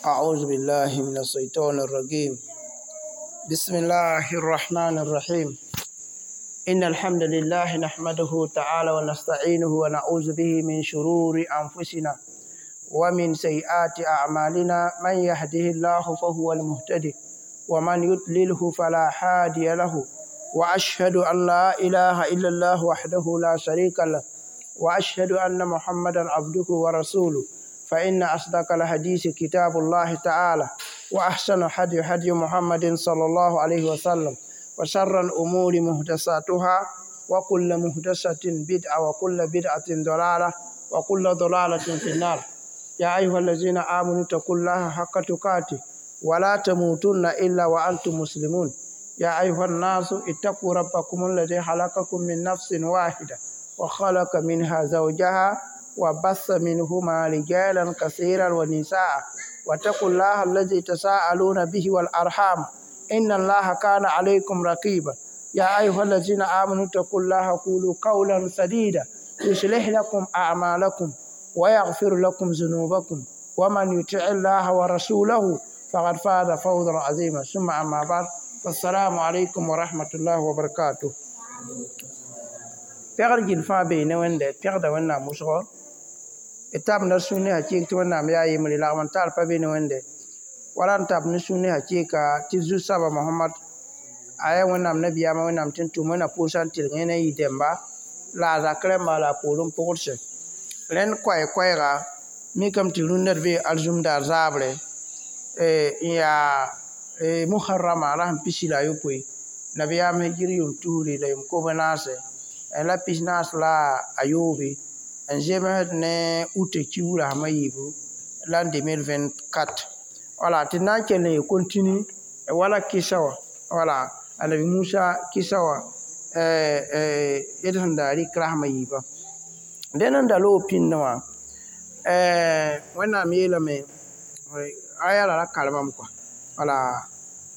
أعوذ بالله من الشيطان الرجيم. بسم الله الرحمن الرحيم. إن الحمد لله نحمده تعالى ونستعينه ونعوذ به من شرور أنفسنا ومن سيئات أعمالنا. من يهده الله فهو المهتدي، ومن يضلله فلا هادي له، وأشهد أن لا إله إلا الله وحده لا شريك له، وأشهد أن محمدا عبده ورسوله. فإن أصدق الحديث كتاب الله تعالى، وأحسن هدي هدي محمد صلى الله عليه وسلم، وشر الأمور محدثاتها، وكل محدثة بدعة، وكل بدعة ضلالة، وكل ضلالة في النار. يا أيها الذين آمنوا اتقوا الله حق تقاته ولا تموتن إلا وأنتم مسلمون. يا أيها الناس اتقوا ربكم الذي خلقكم من نفس واحدة، وخلق منها زوجها، وبث منهما رجالا كثيرا ونساء، واتقوا الله الذي تساءلون به والأرحام، إن الله كان عليكم رقيبا. يا أيها الذين آمنوا اتقوا الله قولوا قولا سديدا، يصلح لكم أعمالكم ويغفر لكم ذنوبكم، ومن يطع الله ورسوله فقد فاز فوزا عظيما. ثم أما بعد، فالسلام عليكم ورحمة الله وبركاته. Pɛgr gill fãa bee ne Wẽnde pẽgda Wẽnnaam wʋsgo d tabenda sũur ne hakɩɩk tɩ Wẽnnaam yaa yembre lagm n tar pa be ne Wẽnde wala n tab ne sũur ne hakɩɩka tɩ Zu-soaba Mohamad a yaa Wẽnnaam nabiyaamã Wẽnnaam tɩ n tʋm Wẽnna pʋʋsã n tɩlg yẽ ne yɩ dẽmba la a zak rẽmba la a poorẽ pʋgdse. Rẽnd koɛɛ-koɛɛga mikame tɩ rũnnã d bee alizumdaar zaabre n yaa Muharrama la sẽn pisi la a yopoe nabiyaam hijir yʋʋm tusri la yʋʋm kob-n-naase la pis-naas la a yoobe n zemsd ne ut kiuug la sẽm a yiibu la 2024. Wala tɩ d na n kell n ye continue wala kɩsa wã, wala Annabi Musa kɩsa wã d sẽn da rɩk rasem a yiibã. Dẽn n da loog pĩndẽ wã, Wẽnnaam yeelame aya la ra karemame kɔa wala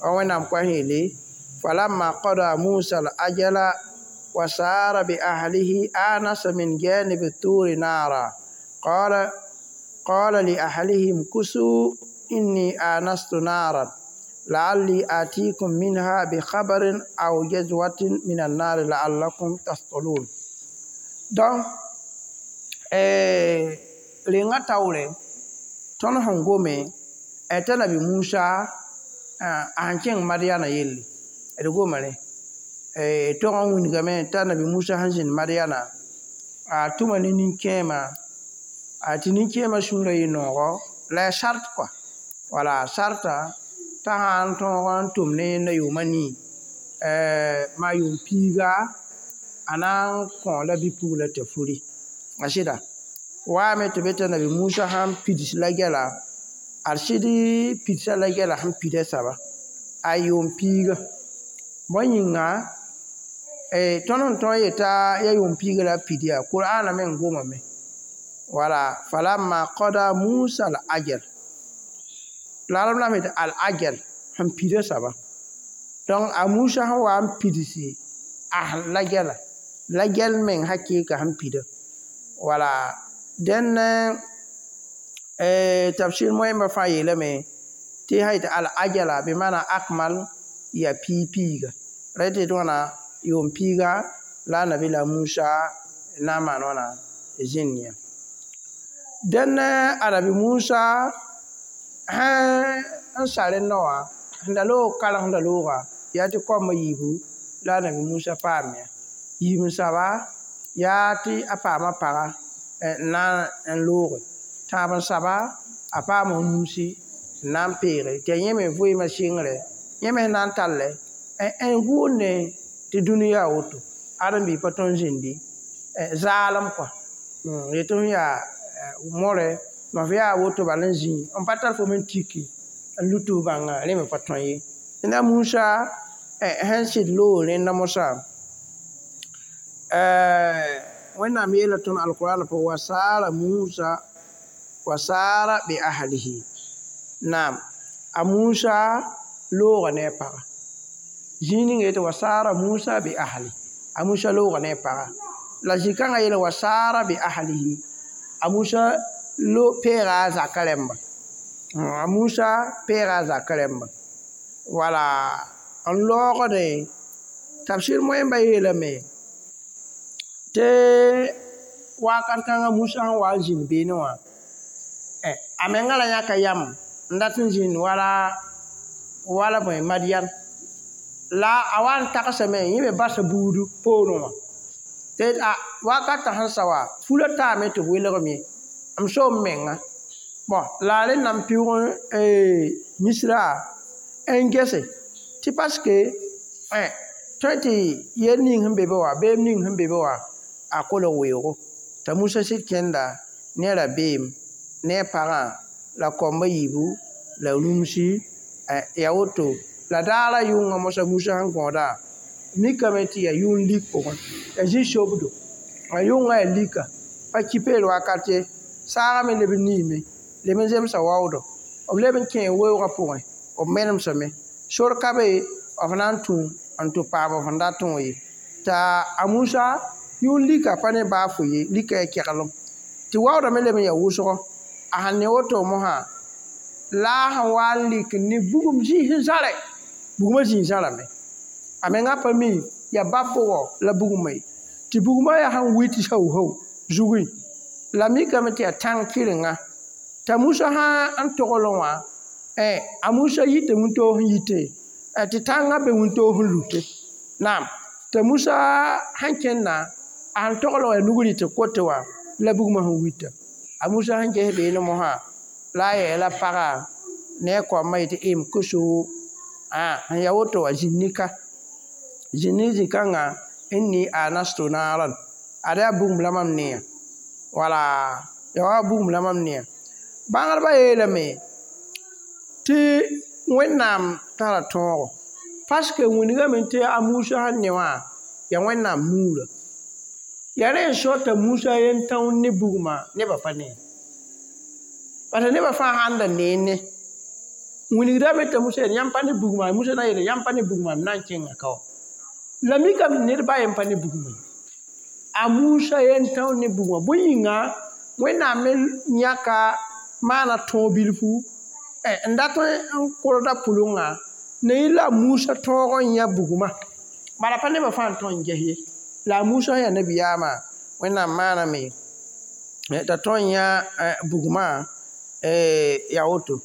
wa Wẽnnaam koa sẽn yeele: فلما قضى موسى الأجل وسار بأهله آنس من جانب الطور نارا، قال لأهله امكثوا إني آنست نارا لعلي آتيكم منها بخبر أو جذوة من النار لعلكم تصطلون. Donc rengã taoore tõnd sẽn gome t'a Nabi Musa a sẽn kẽng Madiana yelle d goma rẽ tog n wilgame t'a Nabi Musa sẽn zĩnd Madiana a tʋma ne nin-kẽema tɩ nin-kẽemã sũurã yɩ noogɔ la ya sart kɔa wala sarta t'a sã n tõog n tʋm ne yẽnda yʋʋma nii maa yʋʋm piiga a na n kõ la bɩ-pugla t'a furi a sɩda waame tɩ be t'a Nabi Musa sãn pids la gɛla ad sɩd pidsa la gɛla sẽn pida soaba a yʋʋm piiga bõe yĩnga tõnd sẽn tõe n yeta yaa yʋʋm piiga la a pid yaa Qur'ana meng gomame wala فلما قضى موسى الأجل la rãmb la me al ajal sẽn pida soaba. Donc a Musa sẽn wa n pidsi a la gɛla la gɛl meng hakɩɩka sẽn pida wala. Dẽn tafsir moẽmbã fãa yeelame tɩ sã yetɩ al ajala bɩ maana akmal yaa piig piiga ra tɩ yetɩ wãna yʋʋm piiga la a Nabi la Musa na n maan wãna zĩnd yã. Dẽn a Nabi Musa sẽn sa rẽndã wã sẽn da loog karensda looga yaa tɩ koamã yiibu la a Nabi Musa paam ya yiib n saba yaa tɩ a paama paga n na n looge tãab n saba a paama nuusi n na n peege tɩ a yẽ me vɩɩmã sɩngre yẽ me sẽn na n tallɛ n gʋʋnde tɩ dũni yaa woto ãdem-biig pa tõe n zĩndi zaalem kɔa yetɩ f yaa more ma f yaa woto bal n zĩ n pa tar fo me n tiki n lut f bãnga rẽ me pa tõe ye. Ned Musa sẽn sɩd loog rẽnda mosã Wẽnnaam yeela tõnd alqur'an pʋgẽ: وسار موسى وسار بأهله. Naam, a Musa looga ne a paga zĩig ninga yetɩ وسار موسى بأهله a Musa looga ne a paga la zĩ-kãngã yeela وسار بأهله a Musa lo peega a zaka rẽmba. A Musa peega a zakã rẽmba wala n loogde tafsir moẽmbã yeelame tɩ wakat kãngã Musa sẽn wa n zĩnd beene wã a menga ra yãka yam n dat n zĩnd wala bõe Madian la a wa n tagsame yẽ me basa buudu poorẽ wã tɩ a wakatã sẽn sa wã fula taame tɩ b welgem ye m so m menga bõn la a rẽnd na n pɩʋg Misra n gese tɩ paske tõe tɩ yel ning sẽn be be wã beem ning sẽn be be wã a kolg weoogo t'a Musa sɩd kẽnda ne rabeem ne a pagã la kaomb a yiibu la rũmsi yaa woto la daara yʋngã mosã Musa sẽn gõoda mikame tɩ yaa yʋng lik pʋgẽ yaa zĩ-sobdo a yʋngã yaa lika pa ki peer wakat ye saagã me leb n niime leb n zemsa waoodo b leb n kẽe weoogã pʋgẽ b menemsame sor ka be b na n tũ n tɩ paam b sẽn datẽ wã ye t'a a Musa yʋng lika pa ne baa fo ye lika yaa keglem tɩ waoodã me leb n yaa wʋsgo a sẽn ne woto mosã la a sẽn wa n lik ne bugum zĩis n zãre bugmã zĩig zãrame a menga pa mi yaa bab-bʋgɔ la bugmã ye tɩ bugmã yaa sẽn wi tɩ hau-hau zugẽ la mikame tɩ yaa tãng kɩrenga t'a Musa sã n toglẽ wã a Musa yita wĩntoog sẽn yite tɩ tãngã be wĩntoog sẽn lute naam t'a Musa sẽn kẽnda a sẽn togl wã yaa nug rɩt kote wã la bugmã sẽn wita a Musa sẽn ges beene mosã la a yeela pagã ne a kaombã yetɩ m koso sẽn yaa woto wã zĩnd-nika zĩnd ne zĩ-kãngã inni anastu naran ad yaa bugum la mam neã wala yaa wa bugum la mam neã bãngdbã yeelame tɩ Wẽnnaam tara tõogo parce que wilgame tɩ a Musa sẽn ne wã yaa Wẽnnaam nuurã yaa rẽ n so t'a Musa yentãoor ne bugmã nebã pa ne parce que nebã fãa sãn da neene wilgdame t'a Musa yeel yãmb pa ne bugmã Musa na n yeele yãmb pa ne bugmã m na n kẽnga ka wã la mikame ned ba yen pa ne bugmã ye a Musa yentãoor ne bugmã bõe yĩnga Wẽnnaam me yãka maana tõog bilfu n dat n kolda pʋlengã ne yẽ la a Musa tõog n yã bugmã bala pa nebã fãa n tõe n ges ye la a Musa sẽn yaa nabiyaamã Wẽnnaam maaname t'a tõe n yã bugmã yaa woto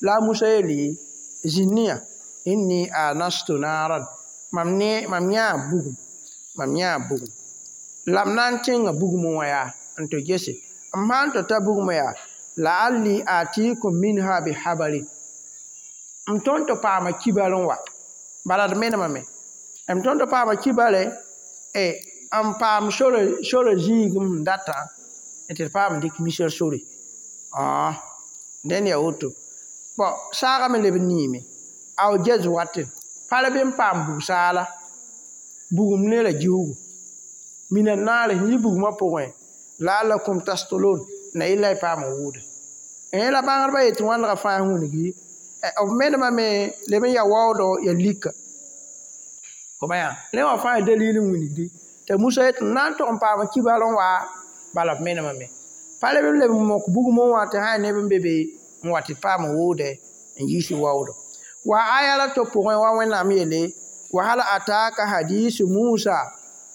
la a Musa yeele zĩnd yã inni anastu naran mam yãa bugum mam yãa bugum la m na n tẽnga bugmẽ wã yaa n tɩ gese m sã n tɩ ta bugmã yaa la'alli atikum minha bihabarin m tõnd tɩ paama kibar n wa bala d menemame m tõnd tɩ paama kibare n paam sora zĩigem sẽn datã tɩ d paam dɩk misr sore dẽnd yaa woto bɔn saagã me leb n niime aw jazwatin pa b n paam bug-saala bugum ne ra giugu mina naare sẽn yi bugmã pʋgẽ la'allakum tastolon na yella y paam n wʋʋda la bãngdbã yetɩ wãndgã fãa wilgi b menemame leb n yaa waoodgo yaa lika rẽ wã fãa yaa dalil n wilgdi t'a Musa yetɩ m na n tog n paam kibar n wa bala b menemame pa leb n leb n mok bugmẽ wã tɩ sã yaa neb n be be n wa tɩ d paam n wʋʋdɛ n yiis waoodo wa aya la to pʋgẽ wa Wẽnnaam yeele wa hal ataka hadisu Musa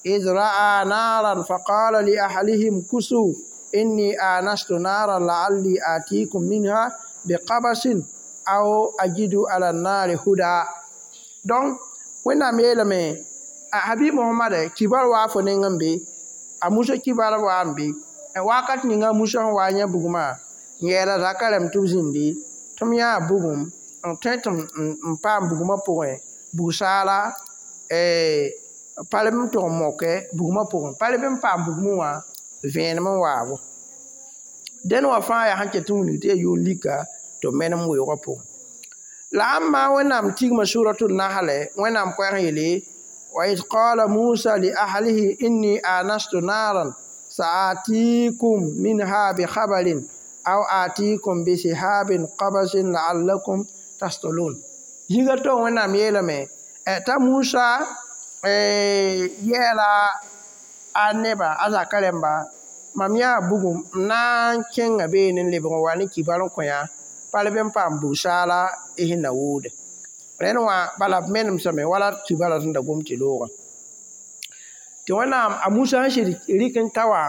إذ رأى نارا فقال لأهلهم كسوا إني آنست نارا لعلي آتيكم منها بقبس أو أجد على النار هدى donc Wẽnnaam yeelame a Habib Mohamad kibar waa fo neng n be a Musa kibar waa n be wakat ninga Musa sẽn wa n yã bugmã n yɛɛla zakã rɛm tɩ b zĩndi tɩ m yãa bugum n tõe tɩ m paam bugmã pʋgẽ bug-saala pa leb n tʋg n moke bugmã pʋgẽ pa leb n paam bugmẽ wã vẽenem n waabo dẽn wã fãa yaa sẽn ket n wilg tɩ yaa yʋʋn lika tɩ b menem weoogã pʋgẽ la ãmba Wẽnnaam tigma suratul Nahl Wẽnnaam koɛɛg n yeele wa id qala Musa li ahlihi inni anastu naran sa'atikum minha bi khabarin aw atikum bi sihabin qabasin la'allakum tastolun zĩiga to Wẽnnaam yeelame t'a Musa yɛɛla a nebã a zakã rẽmba mam yãa bugum n na n kẽnga beene n lebg n wa ne kibar n kõ yã Pa leb n paam bug-saala y sẽn na woode. Rẽnd wã bala b menemsame wala tɩ bala sẽn da gom tɩ loogã. Tɩ Wẽnnaam a Musa sẽn sɩd rɩk n ta wã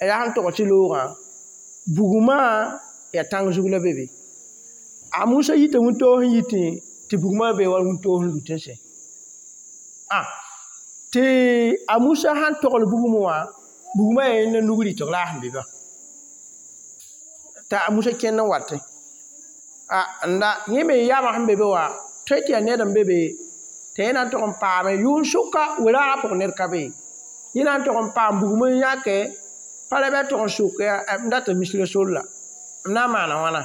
yaa sẽn tog tɩ loogã bugmã yaa tãng zug la be be. A Musa yita wĩntoog sẽn yitẽ tɩ bugmã be wa wĩntoog sẽn lut n sẽ. Tɩ a Musa sãn togl bugmẽ wã bugmã yaa yẽnda nug rɩtg la a sẽn be ba. T'a Musa kẽnd n watẽ. N da yẽ me yamã sẽn be be wã tõe tɩ yaa ned n be be tɩ yẽ na n tog n paame yʋʋn-sʋka weraagã pʋgẽ ned ka be ye. Yẽ na n tog n paam bugum n yãke pa ra bɩ a tog n sok yaa m data misra sor la m na n maana wãna.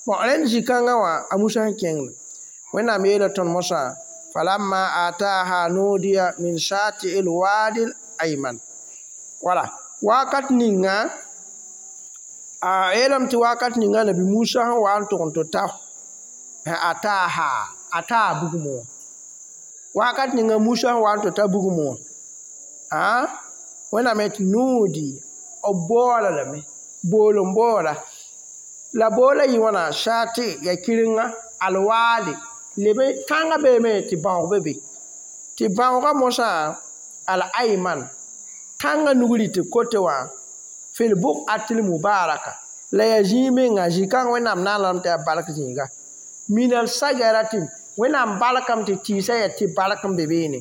Bon rẽnd zĩ-kãngã wã a Musa sẽn kẽngd Wẽnnaam yeela tõnd mosã falamma ataha nudiya min shati'il wadi ayman. Wala wakat ninga a yeelame tɩ wakat ninga Nabi Musa sẽn wa n tog n tɩ ta ataha ata bugmo wakat ninga Musa sẽn wa n tɩ ta bugmo a Wẽnnaam yetɩ nuudi b boola lame bool n boola la boola yɩ wãna shati ya kɩrenga alwaadi lebe tãngã beeme tɩ bãoog be be tɩ bãoogã mosã al ayman tãngã nug rɩtɩ kote wã fil buqatil mubaraka la yaa zĩig menga zĩ-kãng Wẽnnaam na n lame tɩ yaa bark zĩiga minal sajaratin Wẽnnaam barkame tɩ tɩɩsã yaa tɩ bark n be beene.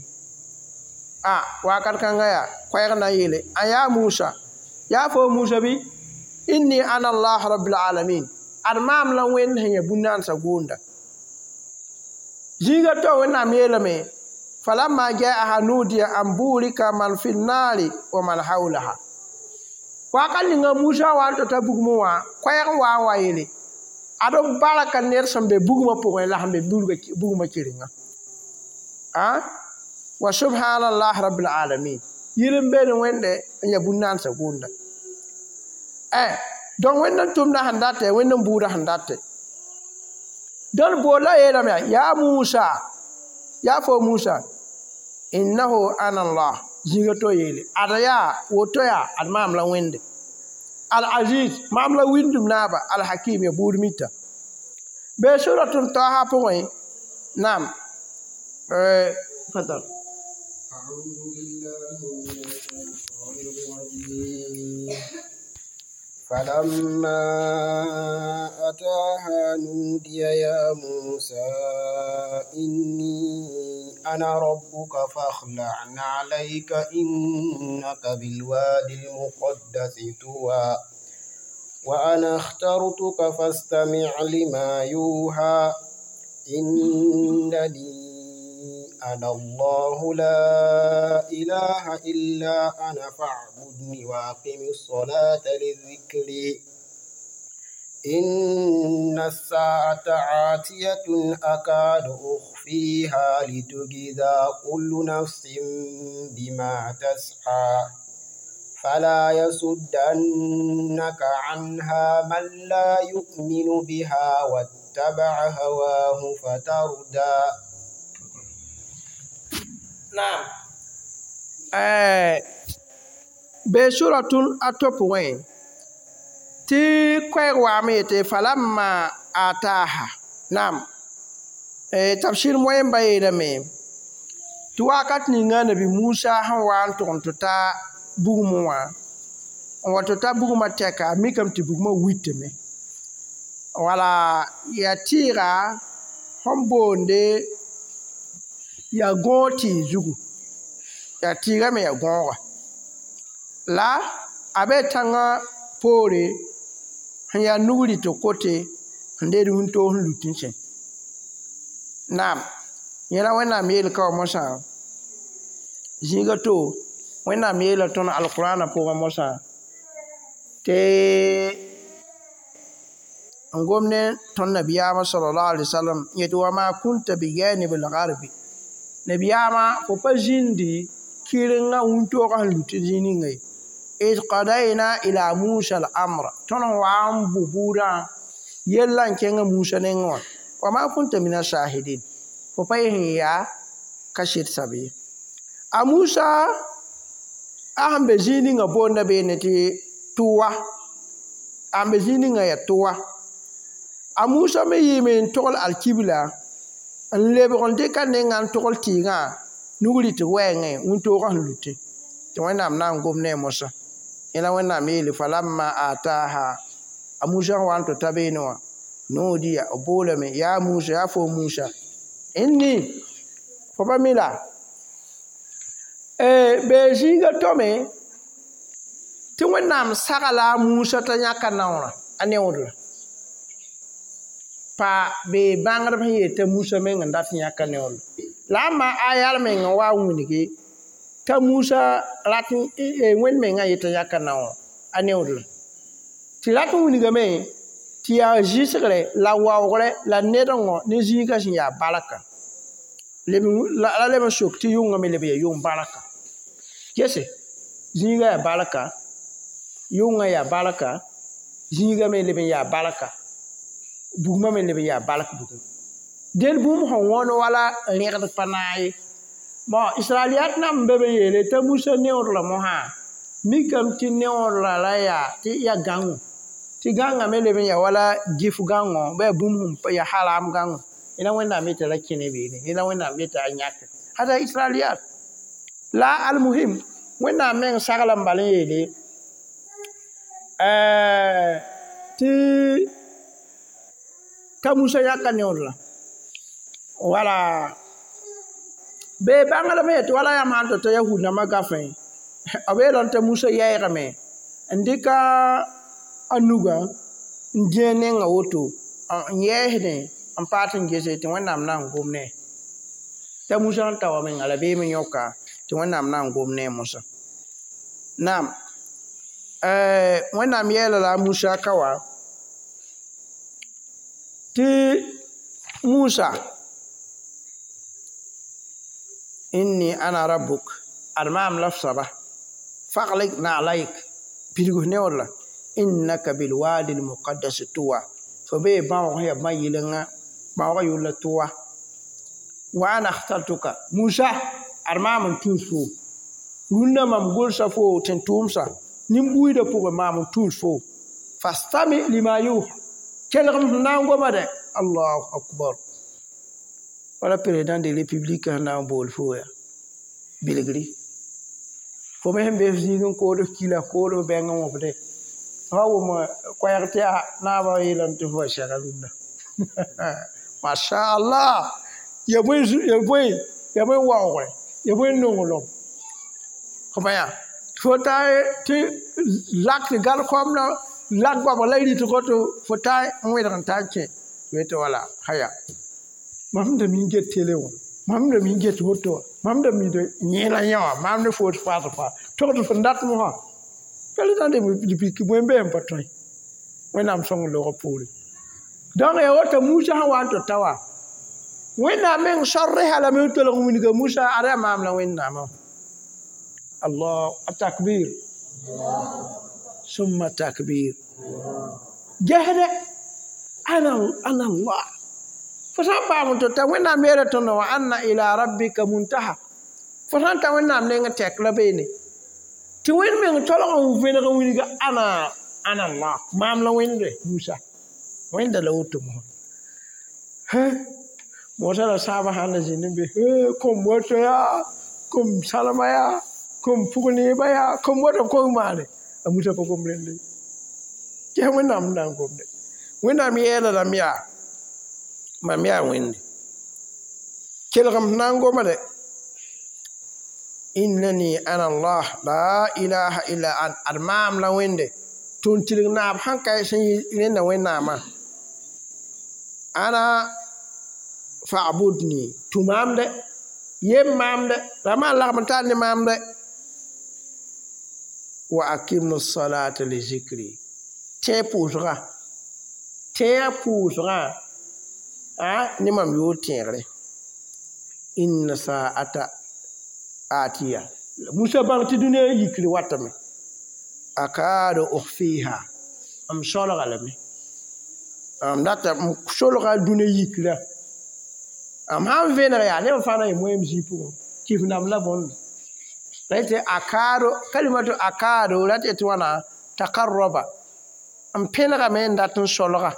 Wakat kãngã yaa koɛɛg na n yeele a yaa Musa yaa fo Musa bɩ inni ana Allah rabbil alamin ad maam la Wẽnd sẽn yaa bũn-naandsã goonda. Zĩiga to Wẽnnaam yeelame falamma jaaha nudiya an burika man fi nnaari wa man hawlaha. Wakat ninga Musa wa n tɩ ta bugmẽ wã koɛɛg n wa n wa yeele ad b barka ned sẽn be bugmã pʋgẽ la sẽn be bugmã kɩrenga. Wa subhanallah rabbil alamin yir n be ne Wẽnde n yaa bũn-naandsã goonda. Donc Wẽnd n tʋmda sẽn datɛ Wẽnd n buudã sẽn datɛ. Dõnd boola yeelame yaa Musa yaa fo Musa innahu ana Allah zĩiga to yeele ad yaa woto yaa ad maam la Wẽnde al aziz maam la wĩndum naaba al hakim ya buud mita. Bee suratun Taha pʋgẽ naam fadal. أعوذ بالله من الشيطان الرجيم فلما أتاها نودي يا موسى إني أنا ربك فاخلع نعليك إنك بالوادي المقدس طوى وأنا اخترتك فاستمع لما يوحى إنني أنا الله لا إله إلا أنا فاعبدني وأقم الصلاة لذكري إن الساعة عاتية أكاد أخفيها لتجزى كل نفس بما تسعى فلا يصدنك عنها من لا يؤمن بها واتبع هواه فتردى. Naam. Be suratun a to pʋgẽ tɩ koɛɛg waame yetɩ falamma ataha. Naam. Tafsir moẽmba yeelame tɩ wakat ninga Nabi Musa sẽn wa n tʋg n tɩ ta bugmẽ wã n wa tɩ ta bugmã tɛka a mikame tɩ bugmã witame wala yaa tɩɩga sẽn boonde yaa gõog tɩɩg zugu yaa tɩɩgã me yaa gõoga la a be tãngã poore sẽn yaa nug rɩtg kote sẽn deed wĩntoog sẽn lut n sẽ. Naam yẽ la Wẽnnaam yeel ka wã mosã zĩiga to Wẽnnaam yeela tõnd alqurãnã pʋgẽ mosã tɩ n gom ne tõnd nabiyaamã sallallahu alaihi wasallam yetɩ wa ma kunta bijanibil garbi nabiyaamã fo pa zĩndi kɩrengã wĩntoogã sẽn lut zĩig ninga ye id qadayna ila Musa al amra tõnd sẽn wa n bʋ buudã yella n kẽngã Musa nengẽ wã wa ma kunta min ashahidin fo pa yẽ sẽn yaa kaset sab ye. A Musa a sẽn be zĩig ninga boonda beene tɩ tʋwa a n be zĩig ninga yaa tʋwa A Musa me yɩɩme n togl alkibla n lebg n dɩk a nengã n togl tɩɩgã nug rɩtg wɛɛngẽ wĩntoogã sẽn lutẽ tɩ Wẽnnaam na n gom ne a Mosa yẽla Wẽnnaam yeele falamma ataaha a Musa sẽn wa n tɩ ta beene wã nuudiya b boolame yaa Musa yaa fo Musa inni fo pa mi la bee zĩiga tome tɩ Wẽnnaam sagla a Musa t'a yãka naoorã a neoodra pa bee bãngdb sẽn yeel t'a Musa meng n dat n yãka neoodra la a ma aya meng n wa n wilgi t'a Musa rat Wẽnd mengã yetã yãka naoor a neoodra tɩ rat n wilgame tɩ yaa zɩsgre la waoogre la nedengõ ne zĩigã sẽn yaa barka la leb n sok tɩ yʋngã me leb n yaa yʋng barka gese zĩigã yaa barka yʋngã yaa barka zĩigã me leb n yaa barka bugmã me leb n yaa bark bugum dẽn bũmb sẽn wõn wala rẽgd pa naag ye bon israeliyat nãmb n be be n yeele t'a Musa neoodra mosã mikame tɩ neoodra la yaa tɩ yaa gãngo tɩ gãngã me leb n yaa wala gif gãngo bɩ yaa bũmb sẽn yaa haram gãngo yẽla Wẽnnaam yeta la kẽne beene yẽla Wẽnnaam yeta a yãke hada israeliyat la almuhim Wẽnnaam meng sagla n bal n yeele tɩ t'a Musa yãka neoodra wala bee bãngdame yetɩ wala yãmb sãn tɩ t'a yahud nambã gafẽ b yeelame t'a Musa yɛɛgame n dɩka a nugã n dẽ a nengã woto n yɛɛsdẽ n paat n gese tɩ Wẽnnaam na n gom ne t'a Musa sẽn ta wa menga rabeem n yõka tɩ Wẽnnaam na n gom ne a Mosa naam Wẽnnaam yɛɛla la a Musa ka wa tɩ Musa inni ana rabbuk ad maam la f soaba faglik naalayk pidg f neoodra innaka bilwadi lmuqaddas tuwa fo bee bãoog sẽn yaa bã yɩlenga bãoogã yʋl la tuwa wa ana akhtartuka Musa ad maam n tũus fo rũnnã mam gʋlsa fo tɩ n tʋʋmsa nin-buiidã pʋgẽ maam n tũus fo fastami lima yuha kelgem sẽn na n goma dɛ allahu akbar wala président de république sẽn na n bool fo yaa bilgri fo me sẽn be f zĩig n kood f kila kood f bɛng n wõbde fa wʋm koɛɛg tɩ yaa naabã yeelame tɩ fo wa sɛga rũnnã mashallah ya bõe waoogre ya bõe nonglem fo pa yaa fo ta tɩ lak tɩ gãd koamdã lak goabg la y rɩtgo tɩ fo ta n wẽdg n ta n kẽ tɩ wala haya mam da mi get télé wã mam da mi get woto wã mam da mi yẽela yẽ wã maam ne foot faas fa togd fo n dat mosã président de république bõe n be n pa tõe Wẽnnaam sõng loogã poore donc ya woto Musa sẽn wa n tɩ ta wa Wẽnnaam meng sor-resa lame n tolg n wilga Musa ad yaa maam la Wẽnnaamã allah atakbir summa takbir gesde ana allah fo sã n paam n tɩ ta Wẽnnaam yeela tõndo wã anna ila rabbika muntaha fo sã n ta Wẽnnaam neng tɛk la beene tɩ Wẽnd meng tolg n vẽneg n wilga ana allah maam la Wẽnde Musa Wẽnda la woto mosã Mosa la sãabã sãn da zĩnd n be kom woto yaa kom salma yaa kom pʋg neeba yaa kom woto kom maane a Musa pa gom rende ges Wẽnnaam n na n gomde Wẽnnaam yɛɛla lame yaa mam yaa Wẽnde kelgem sẽn na n goma dɛ innani ana allah la ilaha illa an ad maam la Wẽnde tʋn tɩrg naab sãn ka sẽn yɩ rẽnda Wẽnnaamã ana fa'budni tũ maam dɛ yem maam dɛ ra maan lagm n tar ne maam dɛ wa akimu salata li zikri tẽ pʋʋsgã tẽa pʋʋsgã ne mam yoor tẽegre inna sa'ata atiya Musa bãng tɩ dũniyã yikr watame akadu ukhfiha m solga lame m data m solga dũniyã yikrã m sãn vẽneg yaa neb fãa na yɩ moeem zĩig pʋgẽ kif nam la bõnd la yetɩ akado kalimatu akado la tɩ wãna takarraba n pẽnegame n dat n solga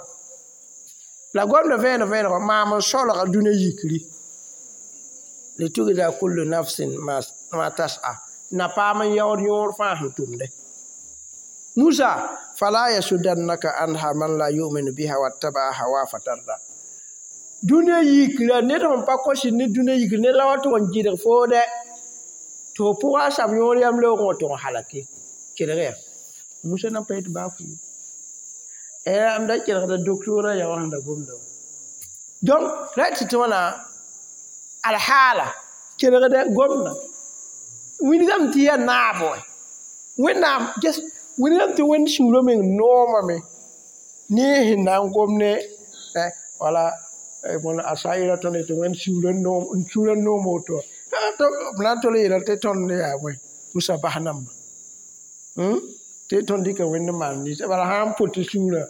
La gomda vẽenem vẽenegã maam n solga dũniyã yikri litujza kullu nafsin ma tas'a na paam n yaood yõor fãa sẽn tʋmde. Musa fala yasuddannaka anha man la yu'minu biha wattaba'a hawa fatarda. Dũniyã yikra ned sẽn pa kos ne dũniyã yikr ned la wa tʋg n gɩdg foo dɛ tɩ fo pʋga a sab yõor yam leoogẽ wa tʋg n halake kelg ya Musa na pa yet baa fu m da kelgda doctora ya wã sẽn da gomda wã. Donc ra tɩ wãna alhaala kelgda gomda wilgame tɩ yaa naab wɛ wẽnnaam ges wilgame tɩ wẽnd sũurã meng noomame ne sẽn na n gom ne wala a saɩra tõnd tɩ wẽnd sũurã noom woto b na n tol n yeela tɩ tõnd yaa bõe Musa bas namba tɩ tõnd dɩka wẽnd n maan ninsã bala sã n pʋt sũurã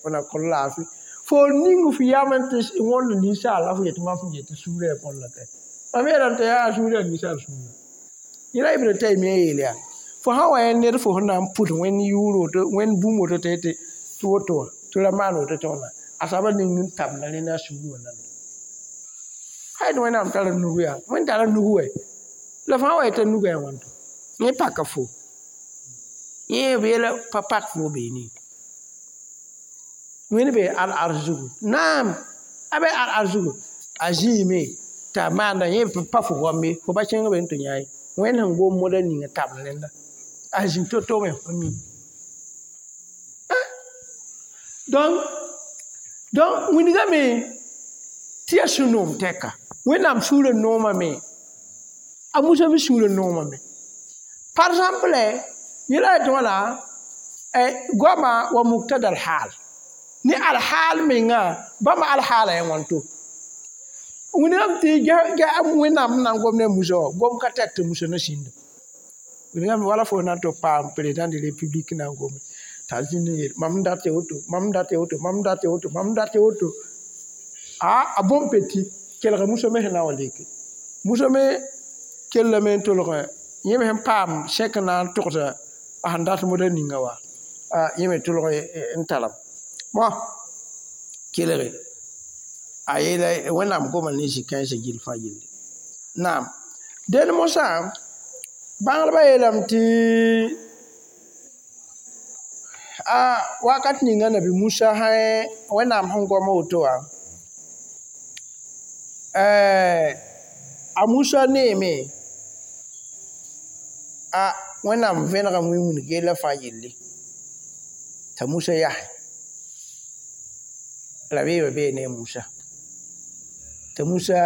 fo na kõ laafɩ fo ning f yam n tɩ wõnd ninsaal la fo yetɩ mam sẽn yetɩ sũurã yaa bõn la ka mam yeelame tɩ yaa sũurã yaa ninsaal sũurã yẽla Ibn Taymiya yeel yaa fo sã wa yã ned fo sẽn na n pʋd wẽnd yʋʋr woto wẽnd bũmb woto tɩ yetɩ tɩ woto wã tɩ ra maan woto tɩ wãna a soaba ning n tabenda rẽnda a sũurã wã nanda hay tɩ wẽnnaam tara nugu yaa wẽnd tara nugu wɛ la fãa wa yetã nugã yaa wãnto yẽ paka fo yẽ b yeela pa pak fo beene wẽnd be al-arsh zugu naam a be al-arsh zugu a zĩime t'a maanda yẽ pa fo goam ye fo pa kẽng be n tɩ yã ye wẽnd sẽn gom moda ninga tabl rẽnda a zĩ to-to me fo mi donc wilgame tɩ yaa sũ-noom tɛka wẽnnaam sũurã noomame a Musa me sũurã noomame par exemple yẽla tɩ wãna goama wa muktada al-hal ne alhaal menga bãmba alhaala yaa wãnto wilgame tɩ wẽnnaam sẽn na n gom ne a Musa wã gom ka tɛk tɩ Musa na sĩnda wilgame wala fo na n tɩ paam président de république na n gome t'a zĩnd n yeel mam n dat woto mam n dat woto mam n dat woto mam n dat woto a bon petit kelga Musa me sẽn na n wa leke Musa me kellame n tolgẽ yẽ me sẽn paam sẽk n na n togsa a sẽn dat moda ninga wa yẽ me tolg n tarame bon kelge a yeela wẽnnaam goma ne zĩ-kãensã gill fãa yelle naam dẽnd mosã bãngdbã yeelame tɩ a wakat ninga nabi Musa sã wẽnnaam sẽn gom woto wã a Musa neeme a wẽnnaam vẽnegame wĩnwĩneg yella fãa yelle t'a Musa yase rabeemã bee ne a Musa t'a Musa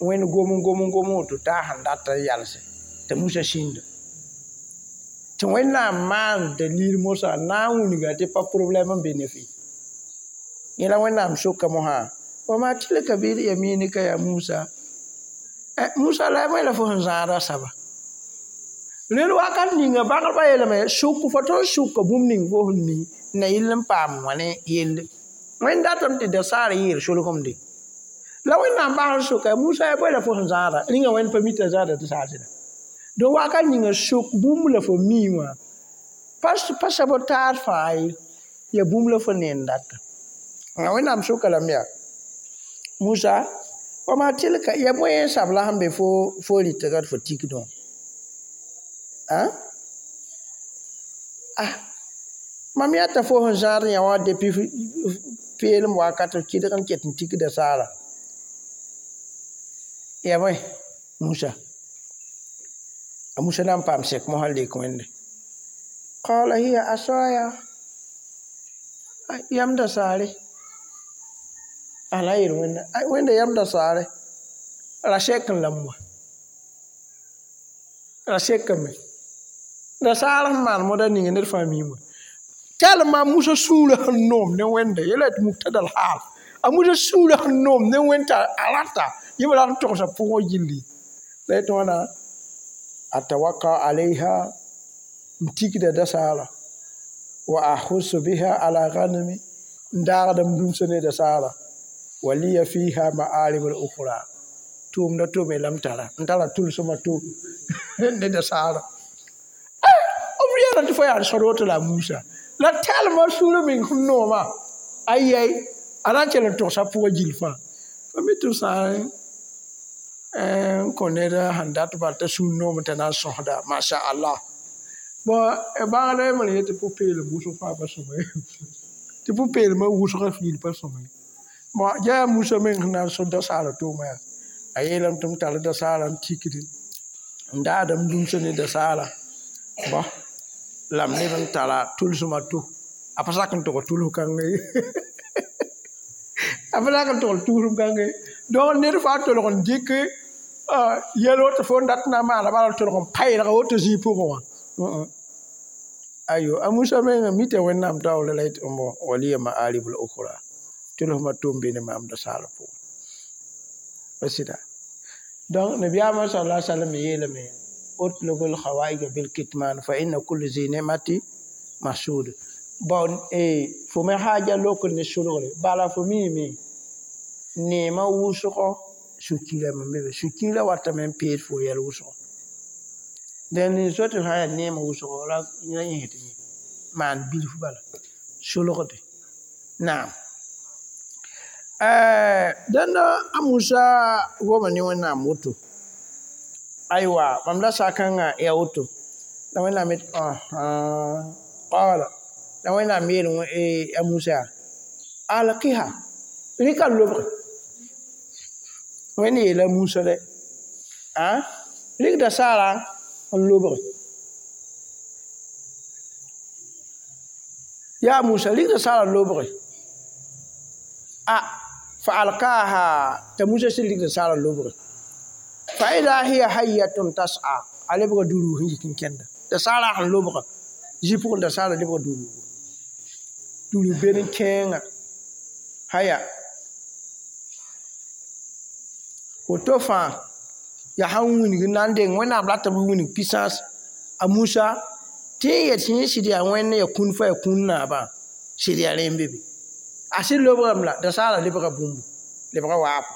wẽnd gom n gom n gom woto t'a sẽn dat n yalse t'a Musa sĩnda tɩ wẽnnaam maan dalil mosã n na n wilga tɩ pa problɛm n be ne fɩ yẽla wẽnnaam soka mosã wa ma tilka bi yaminika ya Musa Musa la y la fo sẽn zãada saba rẽnd wakat ninga bãngdbã yeelame sʋk fo tõnd sʋka bũmb ning fo sẽn mi na yɩl n paam wã ne yelle wẽnd datame tɩ dasaar yɩɩr solgemde la wẽnnaam bas n soka Musa ya bõe la fo sẽn zãada rĩnga wẽnd pa mi t'a zãada tɩ saasda donc wakat ninga sʋk bũmb la fo mi wã pa sab taar fãa ye ya bũmb la fo neen data wẽnnaam soka lame yaa Musa wa ma tilka ya bõe sab la sẽn be fo rɩtga tɩ fo tikdẽ wã mam yata fo sẽn zãad yã wã depuis peelem wakat kɩdg n ket n tikda saara ya bõe Musa a Musa na n paam sɛk mosã n lek wẽnde qala hiya asaya yamda saare a na n yeel wẽnda wẽnda yamda saare ra sɛk n lame wã ra sekame ra saar sẽn maan moda ninga ned fãa miime wã tɛlma a Musa sũurã sẽn noom ne wẽnde yela tɩ muktada al-haal a Musa sũurã sẽn noom ne wẽnd t'a a rata yẽ me rat n togsa pʋgẽ gilli la yetɩ wãna atawaka alayha n tikda dasaara wa ahusu biha ala ghanami n daagda m dũmsã ne dasaara wa liya fiha ma'arib al-ukhra tʋʋmda tome la m tara n tara tʋlsmã to ne dasaara b yɛla tɩ fo yaa sõd woto la a Musa la tɛlmã sũurã meng sẽn noomã Ayay a na n kell n togsa pʋgã gill fãa fo mi tɩ b sã n kõ ned sẽn dat bal t'a sũur noomẽ t'a na n sõsda masha Allah. Bon bãngda yembr yet tɩ pʋ-peelem wʋsg fãa pa sõma ye tɩ pʋ-peelmã wʋsgã fiil pa sõma ye. Bon yaa Musa meng sẽn na n sõd dasaarã toomã yaa a yeelame tɩ m tar dasaarã n tikdi n daadame lumsa ne dasaara bõ la m leb n tara tʋlsmã to a pa sak n tog tʋls kãngã ye a pa sak n togl tʋlsem kãngã ye donc ned fãa tolg n dɩk yɛl woto fo n dat na n maana bala n tolg n paelga woto zĩig pʋgẽ wã ayo a Musa mengã mita Wẽnnaam taoore la yetɩ bõ waliya ma'arib al-ukhra tʋlsmã tom be ne maam dasaarã pʋgẽ pa sɩda. Donc nabiyaamã sallallahu alaihi wasallam yeelame utlubul khawaïj bil kitman fa inna kulli zi ni'mati mahsud. Bon fo me haaja lok ne sulgre bala fo miime neemã wʋsgɔ sũ-kiirame n be be sũ-kiirã watame n peed fo yɛl wʋsgɔ dẽn nin-so tɩ sã n yaa neemã wʋsgɔ ra yẽsd yẽ maan bilf bala sulgde naam. Dẽnda a Musa goma ne Wẽnnaam woto aywa mam la sakãngã yaa woto la Wẽnnaam yet qala la Wẽnnaam yeel a Musa yaa alqiha rɩka lobge Wẽnd yeela Musa dɛ rɩk dasaarã n lobge yaa Musa rɩk dasaarã lobge a fa alqaha t'a Musa sɩd rɩk dasaarã lobge fa ida hiya hayyatun tas'a a lebga duruug n yik n kẽnda dasaarã sẽn lobga zĩ pʋgẽ dasaarã lebga duruugu duruug bed n kẽenga haya woto fãa yaa sãn wilg n na n deng Wẽnnaam ratame wilg puissance a Musa tɩ n yet yẽ sɩd yaa Wẽnd ya kũn fa ya kũn naabã sɩd yaa rẽ n be be a sɩd lobgame la dasaarã lebga bũmbu lebga waafo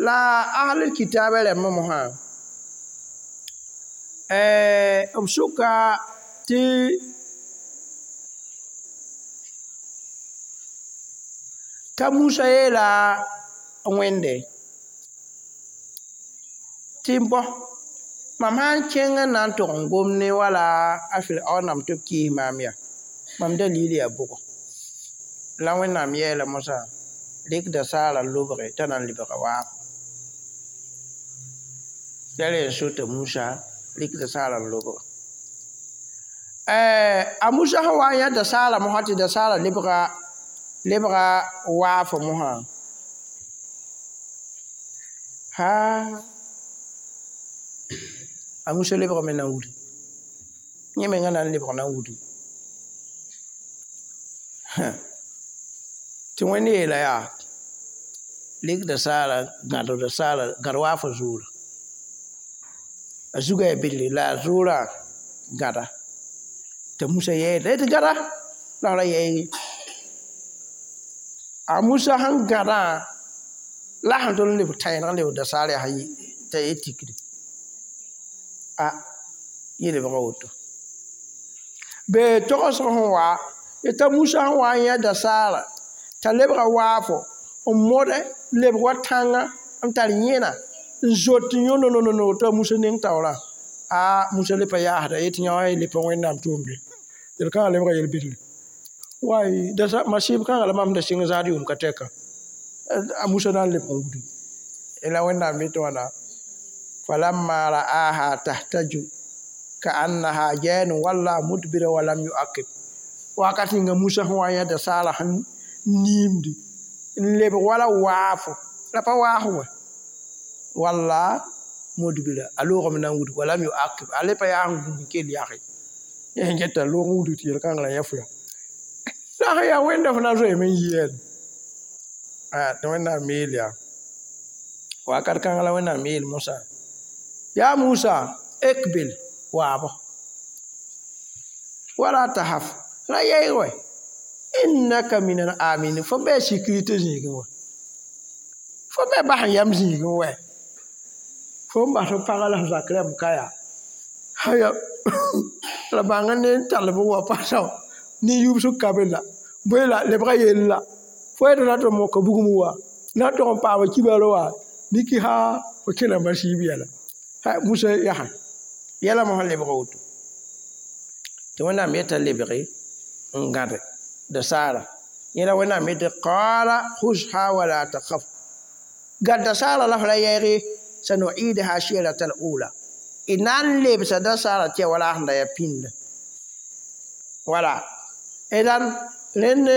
la ahlul kitaabã rãmbã mosã b sʋka tɩ t'a Musa yeela Wẽnde tɩ bõ mam sã n kẽng n na n tog n gom ne wala a Firaoonam tɩ b kɩɩs maam yaa mam dalil yaa bʋgo la Wẽnnaam yɛɛla mosã rɩk dasaarã lobge t'a na n lebga waafo la rẽ n so t'a Musa rɩk dasaarã n lobge a Musa sẽn wa n yã dasaarã mosã tɩ dasaarã lebga waafo mosã ha a Musa lebgame na n wudi yẽ mengã na n lebg na n wudi tɩ Wẽnd yeela yaa rɩk dasaarã gãd dasaarã gãd waafã zuurã a zugã yaa billi la a zuurã gãda t'a Musa yɛɛda tɩ gãda la f ra yɛɛge a Musa sẽn gãdã la sẽn tol n lebg tãeneg n lebg dasaar yaa t'a ye tikre a yẽ lebga woto be togsg sẽn wa t'a Musa sẽn wa n yã dasaarã t'a lebga waafo n mode lebg wa tãngã n tar yẽna n zot n yõ nononono t'a Musa neng taoorã a Musa le pa yaasda yetɩ yã wã le pa Wẽnnaam tʋʋmde yel-kãngã lebga yel-bɩdre way dasa masɩb kãngã la mam da sɩng zaad yʋʋm ka tɛka a Musa na n lebg n wudi la Wẽnnaam yetɩ wãna falamma ra'aha tahtaju ka'annaha janun walla mudbira wa lam yu'aqib wakat ninga Musa sẽn wa n yã dasaarã sẽn niimdi n lebg wala waafo la pa waas wã walla mudbira a loogame na n wud wa lam yu'aqib a le pa yaa n gũud n kell yage yẽ sẽn get t'a loog n wudg tɩ yel-kãngã la yã fo yaa la sẽn yaa Wẽnda fo na n zoeeme n yɩ tɩ Wẽnnaam yeel yaa wakat kãngã la Wẽnnaam yeel mosã yaa Musa ikbil waabo wala tahaf ra yɛɛg wɛ innaka minal aminin fo bɩ sécurité zĩigẽ wã fo bɩ bas n yam zĩigẽ wɛ fo n bas f pagã la f zak rãmb ka yaa haya la bãng ne n tall b wa pa sao ne yubsg ka be la Bõe la lebga yell la fo yetɩ na tɩ moka bugum wa na tog n paama kibar wa niki ha fo kẽna masiib yɛla Musa yaa yɛla mosã lebga woto tɩ Wẽnnaam yeta lebge n gãde dasaara yẽla Wẽnnaam yetɩ qaala khuzha wala takhaf gad dasaara la f ra yɛɛge sanuidaha sirata al-ula d na n lebsa dasaara tɩ ya wala a sẽn da yaa pĩnda wala idan rẽnd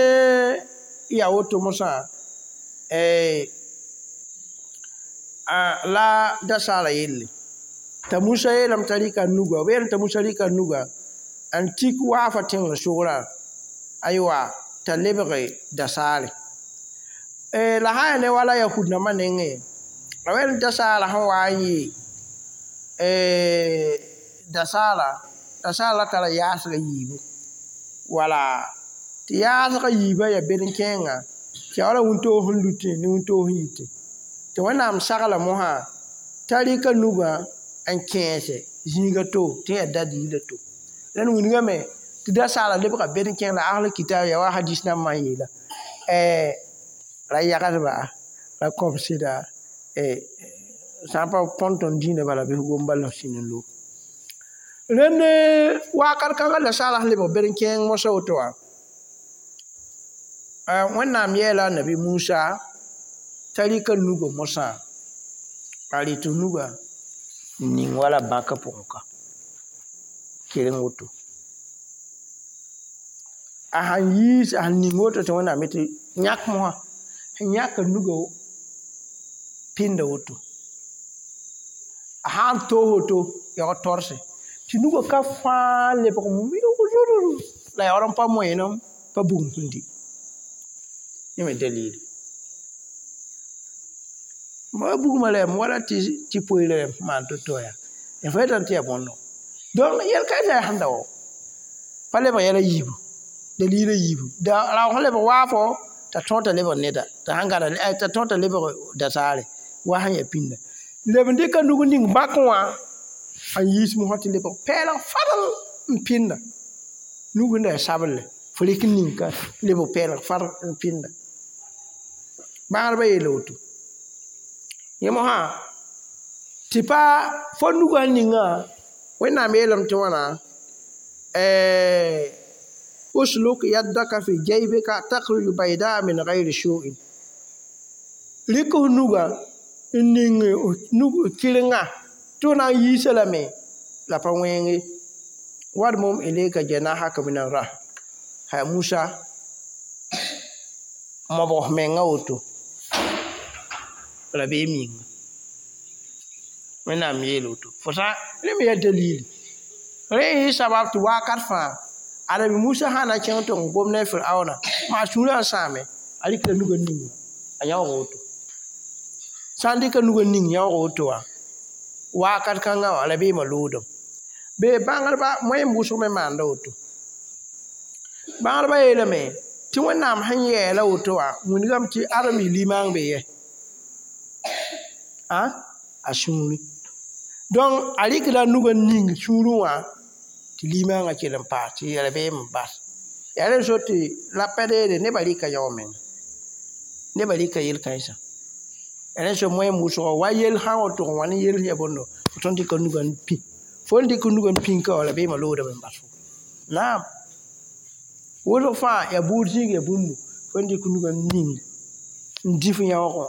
yaa woto mosã la dasaara yelle t'a Musa yeelame t'a rɩka nuga b yeelame t'a Musa rɩka nuga n tik waafa tẽngr sogrã aywa t'a lebge dasaare la sã yaa ne wala yahud nambã nengẽ a wẽnd dasaara sẽn wa n yɩ dasaara dasaara la tara yaasga yiibu wala tɩ yaasga yiibã yaa bed-n-kẽenga tɩ yaa wala wĩntoog sẽn lutẽ ne wĩntoog sẽn yitẽ tɩ Wẽnnaam sagla mosã t'a rɩka nugã n kẽese zĩiga to tɩ yaa dalila to rẽnd wilgame tɩ dasaara lebga bed-n-kẽeng la asl kitab yaa wa hadis nambã n yeela ra yagsba ra kõb sɩda sã n pa põn tõnd dĩinã bala bɩ f gom bala f sĩnd n loog rẽnd wakat kãngã dasaara sẽn lebg bed-n-kẽeng mosã woto wã Wẽnnaam yeela a nabi Musa t'a rɩka nugã mosã a rɩt nugã n ning wala bãkã pʋgẽ ka keleng woto a sãn yiis a sẽn ning woto tɩ Wẽnnaam yetɩ yãk mosã sẽn yãka nugã pĩnda woto a sãn toos woto yaoog torse tɩ nugã ka fãa lebg milg la yaool n pa moẽnem pa bugum sẽn di yẽ me dalili ma bugmã rɛm wala tɩ poeerã rɛm maan to-to yaa ya fo yetame tɩ yaa bõndo donc yel-kãensã yaa sẽn da wa pa lebg yɛla yiibu dalila yiibu raoog sẽn lebg waafo t'a tõog t'a lebg neda t'a sãn gãda t'a tõog t'a lebg dasaare wa sẽn yaa pĩnda leb n dɩka nug ning bãkẽ wã n yiis mosã tɩ lebg pɛɛlg fadl n pĩnda nug sẽn da yaa sablle fo rɩk n ning ka lebg pɛɛlg fadl n pĩnda bãadbã yeela woto yẽ mosã tɩ pa fo nugã ningã Wẽnnaam yeelame tɩ wãna usluk yaddaka fi jaybika takhruju baydaa min gayri su'in rɩk f nugã n ning nug kɩrenga tɩ f na n yiisa lame la pa wẽnge wadmum ilayka janahaka min arrah ha Musa mobg f menga woto rabeem yĩnga Wẽnnaam yeel woto fo sã rẽ me yaa dalili rẽ yɩ sabab tɩ wakat fãa Anabi Musa sã na kẽng tɩ n gom ne Firaona maa sũurã n sãame a rɩkla nugã ninga a yãoog woto sã n dɩka nugã ning yãoog woto wã wakat kãngã wã rabeemã loodem bee bãngdba moẽem wʋsg me maanda woto bãngdbã yeelame tɩ Wẽnnaam sẽn yɛɛla woto wã wilgame tɩ adem yɩ limang be yɛ a sũuri donc a rɩkda nugã ning sũurẽ wã tɩ limangã kell n paas tɩ rabeem n bas yaa rẽ so tɩ la pa deede nebã rɩka yao menga nebã rɩka yel-kãensã rẽ so moẽem wʋsgo wa yel sã n woto n wa ne yel sẽn yaa bõndo fo tõnd dɩka nugã n pĩ fo n dɩk nugã n pĩnka wã rabeemã loodame n bas fo naam wʋsg fãa yaa buud zĩig yaa bũmbu fo n dɩk nugã n ning n dĩ f yãoog wã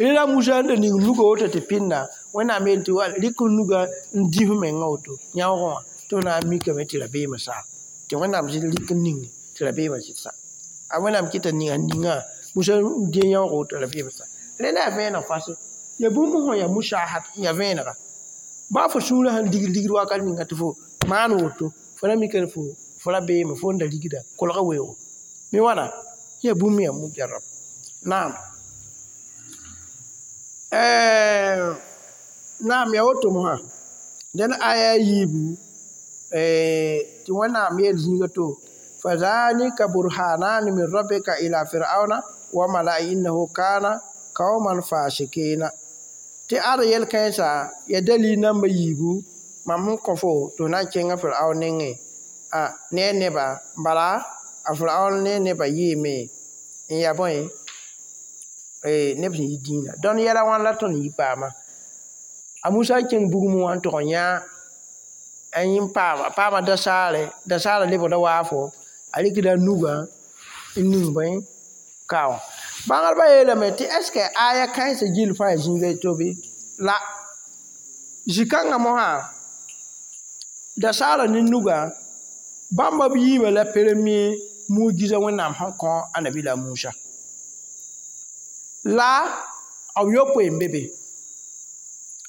rẽla Musa n da ning nugã woto tɩ pĩnda Wẽnnaam yeel tɩ rɩk f nugã n dĩ f mengã woto yãoogẽ wã tɩ f na n mikame tɩ rabeemã saam tɩ Wẽnnaam zɩ rɩk n ning tɩ rabeemã zɩ sa a Wẽnnaam kɩta ninga ningã Musa n dẽ yãoog woto rabeemã sa rẽnda yaa vẽeneg fasẽ yaa bũmb sẽn yaa musahad n yaa vẽenega baa fo sũurã sẽn digd ligd wakat ninga tɩ fo maan woto fo na mikame fo rabeemã fo n da rigda kolga weoogo mi wãna yaa bũmb yaa mujarab naam naam yaa woto mosã dẽn aya a yiibu tɩ Wẽnnaam yeel zĩiga to fadhalika burhanani min rabbika ila fir'auna wa mala'i innahu kana qauman fasikina tɩ ad yel-kãensã yaa dalil namba yiibu mam sẽn kõ fo tɩ f na n kẽnga Firaun nengẽ ne a neba bala a Firaun ne nebã yeeme n yaa bõe neb sẽn yi dĩinã dõnd yɛla wãn la tõnd yi paama a Musa n kẽng bugmẽ wã n tog n yã n yẽ paama a paama dasaare dasaarã lebgda waafo a rɩkda a nugã n ning bõe ka wã bãngdbã yeelame tɩ est ce que aya kãensã gill fãa yaa zĩiga to bɩ la zĩ-kãngã mosã dasaarã ne nugã bãmba b yiibã la premier mujiza Wẽnnaam sẽn kõ a nabiila Musa la b yopoe n be be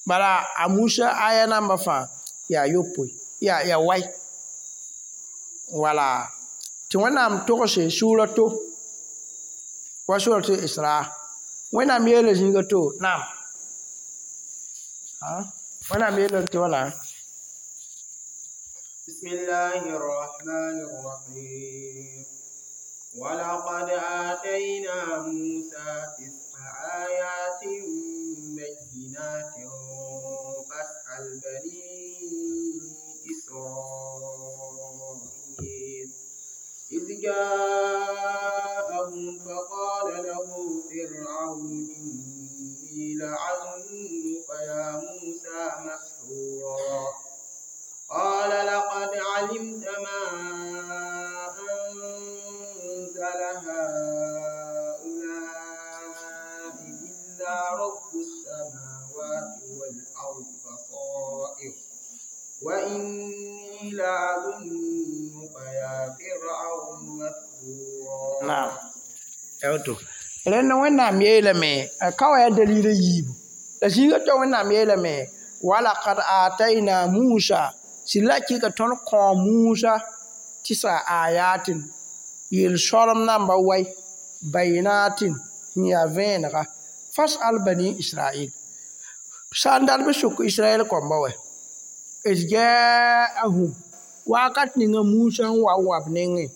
bala a Musa aya namba fãa yaa yopoe yaa wai wala tɩ Wẽnnaam togse sʋʋra to wa surat Isra Wẽnnaam yeela zĩiga to naam Wẽnnaam yeelame tɩ wãna. بسم الله الرحمن الرحيم ولقد آتينا موسى 9 آيات بينات فاسأل بني إسرائيل إذ جاءهم فقال له فرعون إني لأظنك يا موسى مسحورا قال لقد علمت ما أنزل هؤلاء إلا رب السماوات والأرض بصائر وإني لأظنك يا فرعون مثبورا. Naam woto rẽnd Wẽnnaam yeelame a ka wa yaa dalil a yiibu la zĩiga tɩ Wẽnnaam yeelame walaqad atayna Musa sɩd la kɩka tõnd kõ Musa tɩsa ayatin yel-sõlem namba wai bayinatin sẽn yaa vẽenega fasal bani Israel sã n dat b sʋk Israɛl kõmba wɛ is jaahum wakat ninga Musa n wa n wa b nengẽ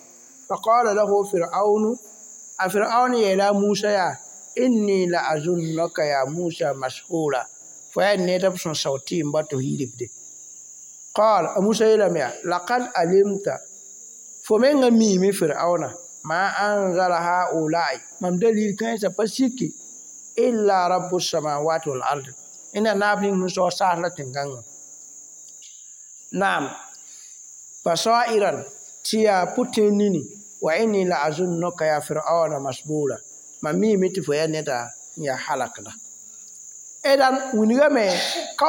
faqala lahu Firaunu a Firaun yeela Musa yaa inni la azunnaka ya Musa mashura fo yaa ned b sẽn sao tɩɩmba tɩ f yiribde qal a Musa yeelame yaa laqad alimta fo menga miime Firauna ma anzala haulai mam dalil kãensã pa siki illa rabu samawati wal ard ẽnna naab ning sẽn sao saas la tẽn-kãngã naam basairan tɩ yaa pʋ-tẽen nini wa inni la azunnuka ya Firauna masbura mam miime tɩ fo yaa neda n yaa halakda edan wilgame ka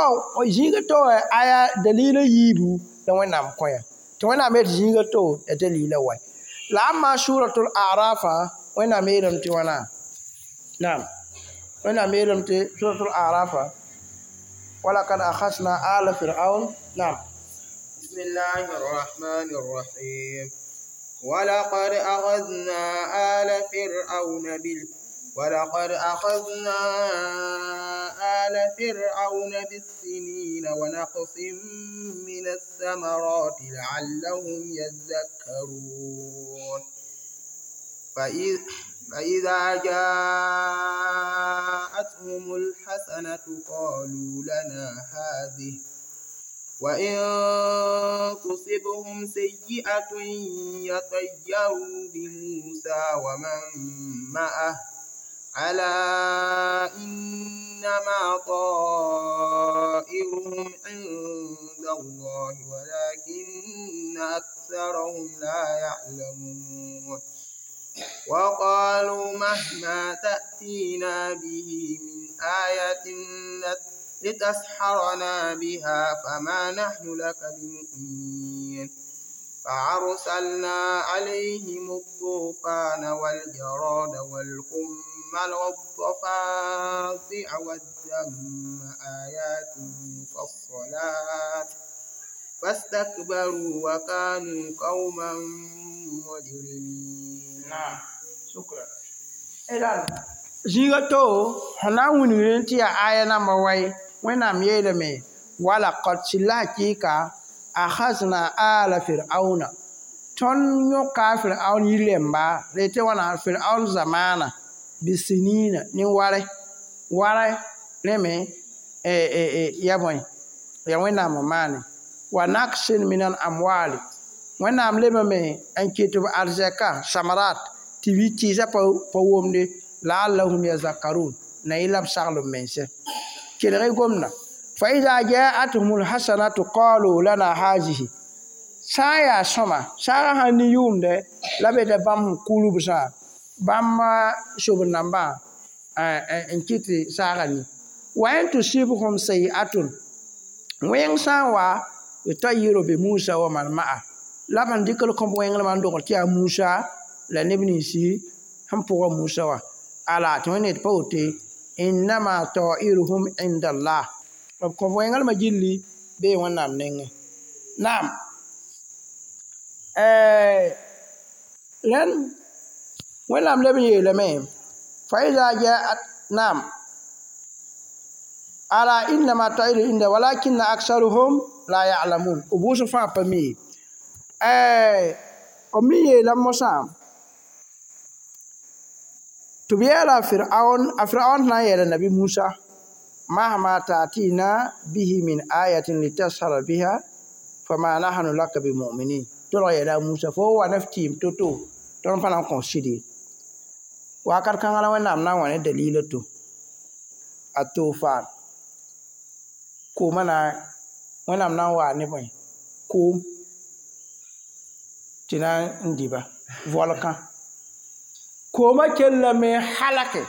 zĩiga to aya dalila yiibu la Wẽnnaam kõ-yã tɩ Wẽnnaam yet zĩiga to ya dalila wa la amma suratul arafa Wẽnnaam yeelame tɩ wãna naam Wẽnnaam yeelame tɩ suratul arafa walakad akhasna ala firaun naam. بسم الله الرحمن الرحيم ولقد أخذنا آل فرعون ولقد أخذنا آل فرعون بالسنين ونقص من الثمرات لعلهم يذكرون فإذا جاءتهم الحسنة قالوا لنا هذه وإن تصبهم سيئة يطيروا بموسى ومن معه ألا إنما طائرهم عند الله ولكن أكثرهم لا يعلمون وقالوا مهما تأتينا به من آية لتسحرنا بها فما نحن لك بمؤمنين فأرسلنا عليهم الطوفان والجراد والقمل والضفادع والدم آيات مفصلات فاستكبروا وكانوا قوما مجرمين. نعم شكرا. إذن zĩiga to sẽn na n wilgd tɩ yaa aya namba wai Wẽnnaam yeelame walaqad sɩd la hakɩɩka akhasna ala firauna tõnd yõka Firaun yir-rẽmba rete wãna Firaun zamaana bisinina ne warɛ warɛ rẽ me ya bõe ya Wẽnnaam n maane wa naksin min al amwali Wẽnnaam lebame n ket b arzɛka samarat tɩ b tɩɩsã pa womde laallahum yazakkarun na yɩ la b sagl b mense kelg y gomdã fa ida jaathum lhasanatu qalu lana hazihi sã n yaa sõma saagã sãn ne yʋʋmdɛ la beta bãmb sẽn kulbsã bãmb sobr-nambã n kɩt tɩ saagã ni wa in tusibhum sayi'atun wẽng sã n wa yutayiru bi Musa wa man ma'a la b sẽn dɩk l kõb wẽnglmã n dogl tɩ yaa Musa la neb ninsi sẽn pʋga Musa wã ala tɩ wẽnd d pa woto innama ta'iruhum inda Allah b kõb wẽnglmã gilli bee Wẽnnaam nengẽ naam rẽnd Wẽnnaam leb n yeelame fa ida jaat naam ala innama ta'iru inda walakinna aksaruhum la ya'lamun b wʋsg fãa pa mi ye b me yeela mosã tɩ b yɛɛla a Firaoon sẽn na n yɛɛla nabi Musa mahma ta'tina bihi min ayatin litashara biha fama nahnu laka bimuminin tolg yɛɛla a Musa fo wa ne f tɩɩm to-to tõnd pa na n kõ sɩd ye wakat kãngã la Wẽnnaam na n wa ne dalila to a tofaan koomã na Wẽnnaam na n waa ne bõe koom tɩ na n dɩba volkã koomã kellame halake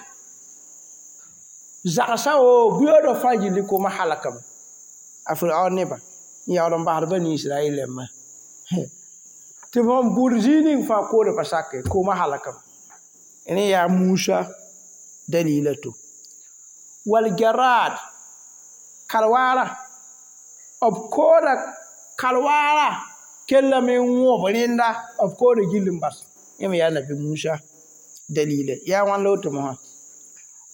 zagsã woo buyoodã fãa gilli koomã halakame a Firaoon nebã n yaool n basd bani Israɛl rãmbã tɩ b sẽn bʋd zĩig ning fãa koodã pa sake koomã halakame rẽ yaa Musa dalila to waljarad kalwaara b kooda kalwaara kellame n wõb rẽnda b kooda gill n bas yẽ me yaa nabi Musa dalila yaa wãn la woto mosã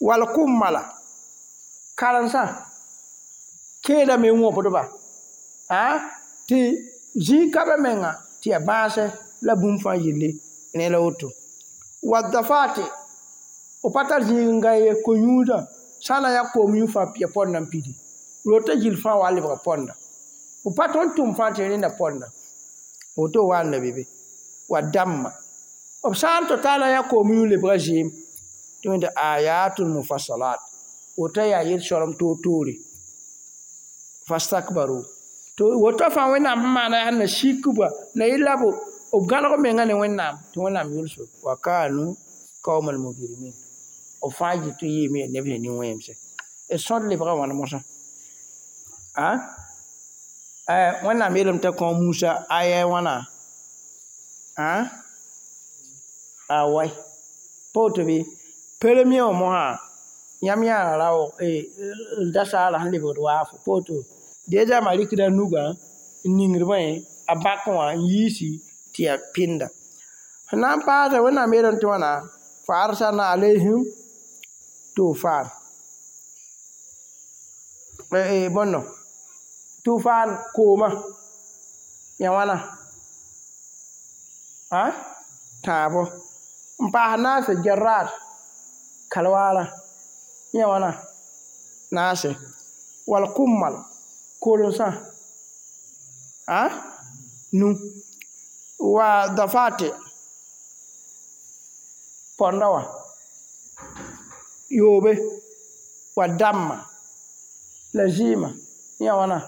wal kummala karen-sã kẽedame n wõbdba tɩ zĩig ka be menga tɩ yaa bãasɛ la bũmb fãa yelle rẽ la woto wa dafate b pa tar zĩig n gã ye ko-yũudã sã n na yaa koom yũ fãa ya pɔndã n pidi rota gill fãa wa lebga pɔnda b pa tõnd tʋm fãa tɩ rẽnda pɔnda woto wa n la be be wa dãmma b sã n tɩ na yaa koom yũ lebga zɩɩm tɩ wẽnda ayatul mufassalat woto yaa yel-soalem toor-toore fastakbaru tɩ woto fãa Wẽnnaam sẽn maana yaa sẽn na sikba la yɩ la b gãneg menga ne Wẽnnaam tɩ Wẽnnaam yʋls wa kanu qauman mujrimin b fãa yɩ tɩ yɩɩme yaa neb sẽn nin-wẽmse d sõd lebga wãn mosã Wẽnnaam yeelame t'a kõ Musa aya wãna a wai pa woto bɩ premier wã mosã yãmb yaa raoog da saala sẽn lebgd waafo pa woto deza ma rɩkda nugã n ningd bõe a bãk wã n yiisi tɩ yaa pɩnda sẽn na n paasa Wẽnnaam yeelame tɩ wãna fa arsalna alayhim tufan bõndo tufan koomã ya wãna tãabo n paas naase jarad kalwaara yã wãna naase wal kummal korensã nu wa dafate pɔnda wã yoobe wa dãmma la zɩɩmã yã wãna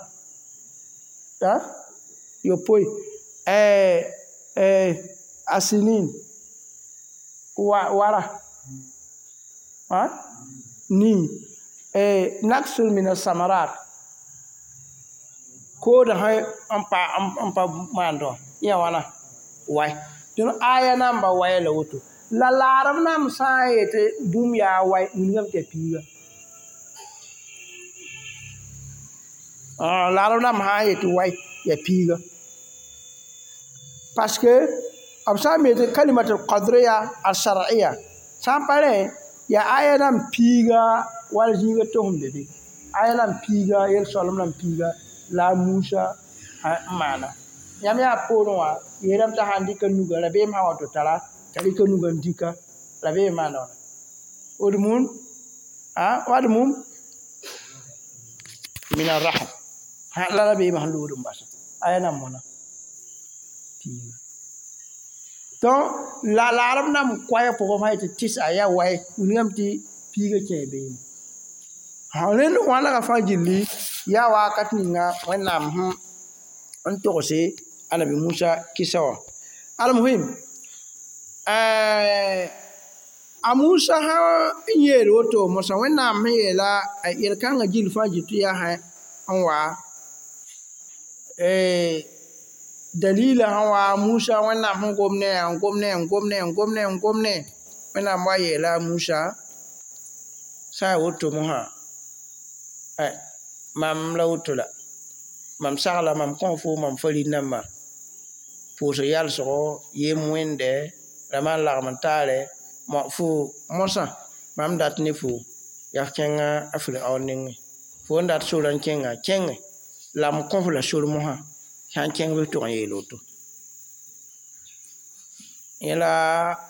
yopoe asinin wara ni naksul min asamarat koodã sẽn pa maand wã yã wãna wai dẽn aya namba waya la woto la laarem nam sã n yetɩ bũmb yaa wai wilgame tɩ yaa piiga laarem nam sã n yetɩ wai yaa piiga parce que b sã n me tɩ kalimatul qadriya al-shar'iyya sã n pa rẽ yaa aya nan piiga wala zĩiga tosem be be aya nan piiga yel-soalem nan piiga la a Musa n maana yãmb yaa poorẽ wã yeelame t'a sãn dɩka nuga rabeem sã wa tɩ tara t'a rɩka nuga n dɩka rabeem maana wãna odmum wadmum min arraham la rabeemã sẽn lood n basa aya nan mõna Piiga donc la laarb nam koɛɛg pʋgẽ fãa yetɩ tɩsa yaa wae wilgame tɩ piiga kẽe beene rẽnd wãnega fãa gilli yaa wakat ninga Wẽnnaam sẽn togse anabi Musa kɩsa wã almuhim a Musa sã n yeel woto moasã Wẽnnaam sẽn yeela yel-kãngã gill fãa gil tɩ yaa n wa dalila sẽn wa Musa Wẽnnaam sẽn gom ne n gom ne n gom ne n gom ne n gom ne Wẽnnaam wa yeela a Musa sã n yaa woto mosã mam la woto la mam sagla mam kõ fo mam farĩn-dãmba pʋʋsg yalsgo yem wẽnde la maan lagem n taare fo mosã mam dat ne fo yaa f kẽnga a Firaoon nengẽ fo n dat sora n kẽnga kẽnge la m kõ f la sor mosã sã n kẽng bɩ f tʋg n yeel woto yẽ la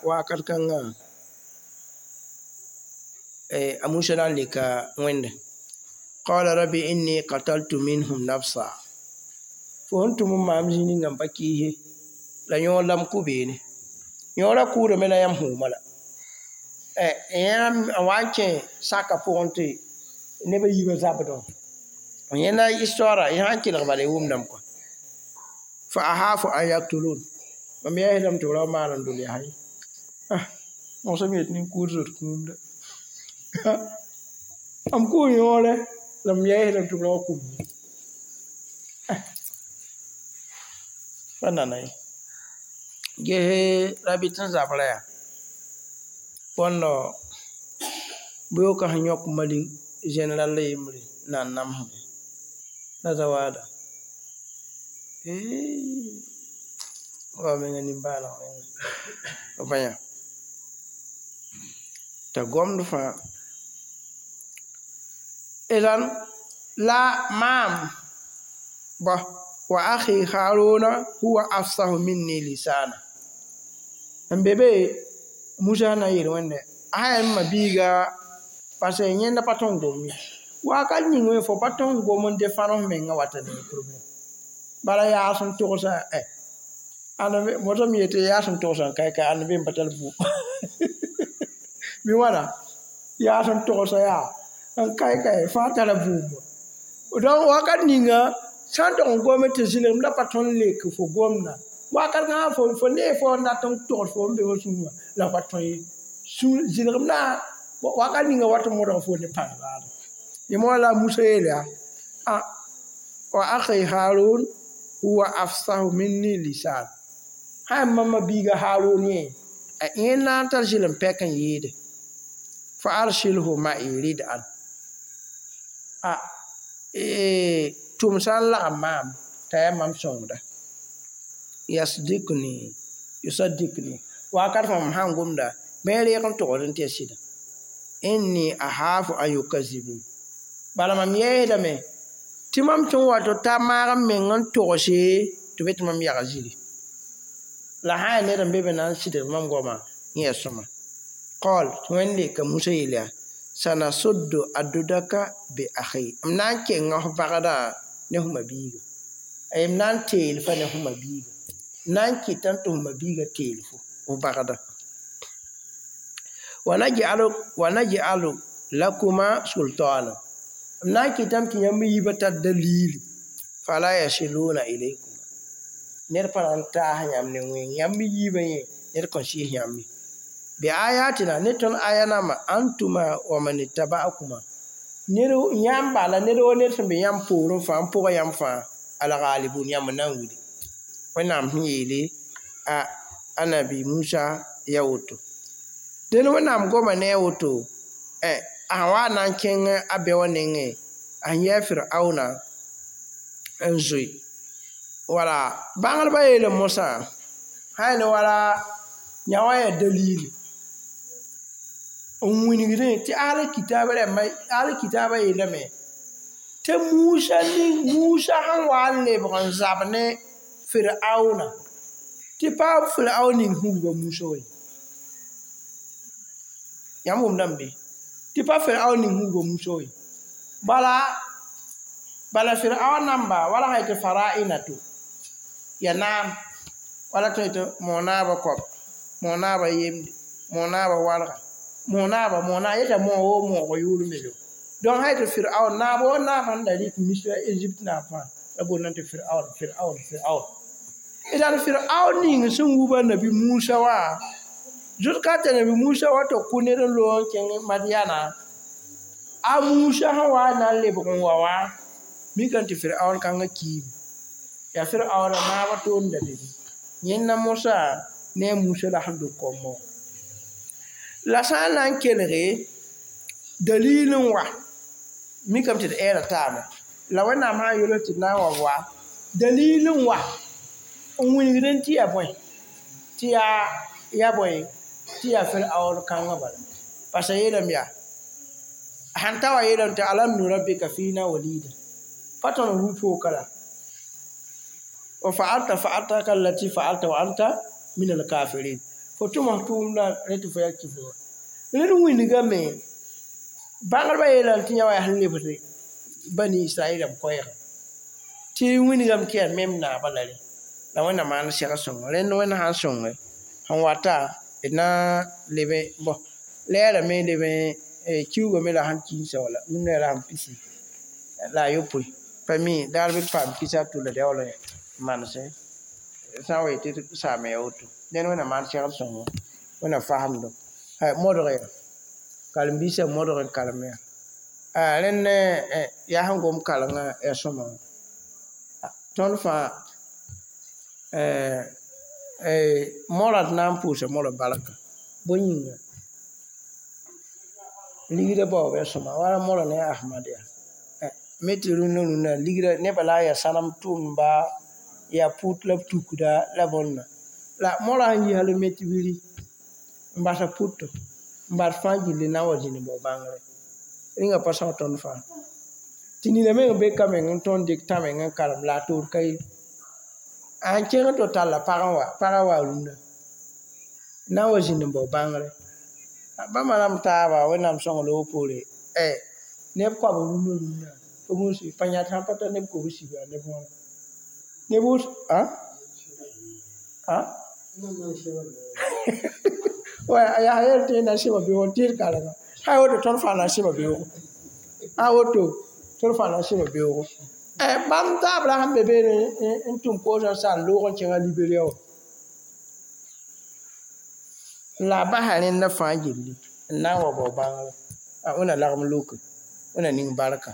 wakat kãngã a Musa na n leka Wẽnde qala rabbi inni qataltu minhum nafsa fo sẽn tʋm n maam zĩig ninga n pa kɩɩse la yõor la m kʋ beene yõorã kʋʋdame la yãmb hʋʋma la yẽ n wa n kẽ saka pʋgẽ tɩ nebã yiibã zabdẽ yẽnda histoire yẽ sãn kelg bala y wʋmdame kɔa fa ahafu an yaktulun mam yɛɛsdame tɩ b ra wa maan n dol yaa ye mosã me yetɩ nin-kʋʋd zot kũumda m kʋʋ yõore la m yɛɛsdame tɩ b ra wa kũm pa nana ye ges rabɩt n zabra yaa bõndo bɩ-yoka sẽn yõk Mali général la yembre n na n namsme la zawada wa menga nimbãaneg menga b bãyã t'a gomd fãa idan la maam bõ wa akhi Haruna huwa afsahu minni lisana n be be Musa na n yeel Wẽnde a sã yaa m ma-biiga parce que yẽnda pa tõe n gom ye wakat ning fo pa tõe n gom n defãn f menga wata ne problème bala yaa sẽn togsa mosame yetɩ yaa sẽn togsa n kae ãnd be n pa tar bʋ bɩ wãna yaa sẽn togsa yaa n kae fãa tara bʋʋmba donc wakat ninga sã n tog n gome tɩ zɩlgem la pa tõe n lek fo gomda wakat kãngã fo nee fo n dat n togs fo n be fo sũurã la pa tõe ye zɩlgem na wakat ninga wat n modg fo ne pãng raada yẽ moa la a Musa yeel yaa wa akhi Harun huwa afsahu minni lisan sã yaa mam biiga Harun yẽ a yẽ na n tar zɩlem pɛk n yɩɩde fa arsilhu ma'i rid'an a tʋm sã n lagem maam t'a yaa mam sõngda yasdikni yusaddikni wakat fãa mam sãn gomda bɩ reeg n togd n tɩ ya sɩda inni ahafu an yukazibun bala mam yɛɛsdame tɩ mam tõe n wato ta maag n meng n togse tɩ be tɩ mam yaga ziri la sã n yaa ned n be be na n sɩdg mam goamã yẽ yaa sõma qal tɩ Wẽnd leka Musa yeel yaa sanasuddu adudaka bi akhi m na n kenga f bagdã ne f ma-biiga m na n teel fa ne f ma-biiga m na n kɩtame tɩ f ma-biiga teel fo f bagdã wa naj'alu lakuma sultana m na n kɩtame tɩ yãmb yiibã tar dalili fala yasiluna ilaykuma ned pa na n taas yãmb ne wẽng yãmb yiibã yẽ ned kõn sɩɩs yãmb ye bi ayatina ne tõnd aya namba antuma wa man ittaba'akuma ned yãmb bala ned wo ned sẽn be yãmb poorẽ fãa n pʋga yãmb fãa algalibun yãmb n na n wili Wẽnnaam sẽn yeele a anabi Musa ya woto dẽnd Wẽnnaam goma ne a woto a sã wa na n kẽng a be wã nengẽ a sẽn yɛɛ Firaoona n zoe wala bãngdbã yeelame mosã sã n ne wala yã wã yaa dalili n wilgdẽ tɩ ahli kitaab rãmbã ahli kitaabã yeelame tɩ Musa ning Musa sẽn wa n lebg n zab ne Firaoona tɩ pa Firaoon ning sẽn wilga Musa wa ye yãmb wʋmdame be tɩ pa Firaoon ning sẽn wilga Musa wa ye bala Firaoon namba wala sã yetɩ fara'ina to ya naam Wala tõe tɩ moog-naabã koab, moog-naabã yemde, moog-naabã walga, moog-naabã, moog-naab yeta moog woo moogã yʋʋr n be be. Donc sã yetɩ Firaoon naab woo naab sẽn da rɩk Misra Egypte naab fãa la boondame tɩ Firaoon, Firaoon, Firaoon. D yaa Firaoon ning sẽn wub a Nabi Musa wã, zʋt ka t'a Nabi Musa wa tɩ kʋ ned n loog n kẽng Madiana, a Musa sẽn wa n na n lebg n wa wã, mikame tɩ Firaoon kãngã kiime. Yaa Firaoonã naabã toor n da be bɩ. Yẽnda mosã ne a Musa la sẽn dog koamã wã. La sã n na n kelge dalil n wa, mikame tɩ d ɛɛra taame. La Wẽnnaam sã n yels tɩ d na n wa wa, dalil n wa n wilgdẽ tɩ yaa bõe, tɩ yaa bõe, tɩ yaa Firaoon kãngã bala. Parce a yeelame yaa, sãn ta wa yeelame tɩ alam nurabbika fiina walida, pa tõnd n rʋ pooka la. Wa fa'alta fa'altaka allati fa'alta wa anta min al-kafirin. Fo tʋm f tʋʋmdã rẽ tɩ fo yaa kifr wã. Rẽnd wilgame, bãngdbã yeelame tɩ yã wa yaa sẽn lebsd bani Israɛl rãmb koɛɛgã. Tɩ wilgame tɩ yaa mem naabã la rẽ. La Wẽnnaam maan sɛg sõngo. Rẽnd Wẽnd sã n sõnge, sẽn wata d na leb bõ lɛɛrame leb kiuugame la sẽn kiisa wala rũndã yaa la sẽn pisi la a yopoe. Pa mi daar bɩ d paam kisa a to la d yaool n manese sã n wa yetɩ d saame yaa woto. Ned Wẽnnaam maan segd sõngo, Wẽnnaam fasemdo. Modg yaa, karen-biisã modg n karem yaa. Rẽnd yaa sẽn gom karengã yaa sõma wã. Tõnd fãa mora d na n pʋʋsa mora barka. Bõe yĩnga? Ligrã baoob yaa sõma, wala mora ne a Ahmad yaa. Me tɩ rũndã rũndã ligrã nebã la a yaa sãnem tʋʋmdba, yaa pʋt la b tukda la bõnda. La mora sẽn yi hal n me tɩ biri n basa pʋto, n bas fãa gilli na n wa zĩnd n bao bãngre. Rĩngã pa sao tõnd fãa. Tɩ nina meng be ka meng n tõnd dɩk tã meng n karem la a toor ka ye. A n kẽng tɩ talla pag n wa, pagã waa rũndã. Na n wa zĩnd n bao bãngre. Bãmba rãmb taaba Wẽnnaam sõng loog poore, neb koab rũndã rũndã, pa gũus pa yãt sãn pa tar neb kobs yaa neb wãna. Neb wʋsg, wa yaa yel tɩ na sɩma beoog tɩ d karenga. Sã n woto tõnd fãa na sɩma beoogo. Sã n woto tõnd fãa na sɩma beoogo. Bãmb taab la sẽn be beene n tʋm koosã n saan loog n kẽngã Liberia wã. La a basa rẽndã fãa gilli n na n wa bao bãngrã. Wẽnna lagem loke, Wẽnna ning barka.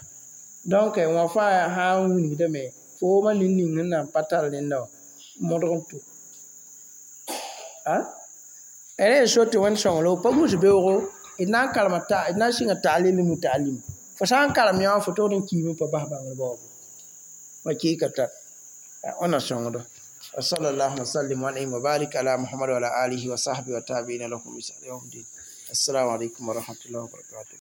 Donc wã fãa sã n wilgdame, fo wʋma nin-ning sẽn na n pa tar rẽnda wã, modg n tʋ. Rẽ n so tɩ Wẽnd sõng loog pa gũus beoogo, d na n karema d na n sɩnga ta'lim muta'allim. Fo sã n karem yã wã fo togd n kiime pa bas bãngr baoobo. Hakika tar. Wẽnna sõngdo. وصلى الله وسلم وانعم وبارك على محمد وعلى آله وصحبه وتابعين لهم بإحسان يوم الدين. السلام عليكم ورحمة الله وبركاته.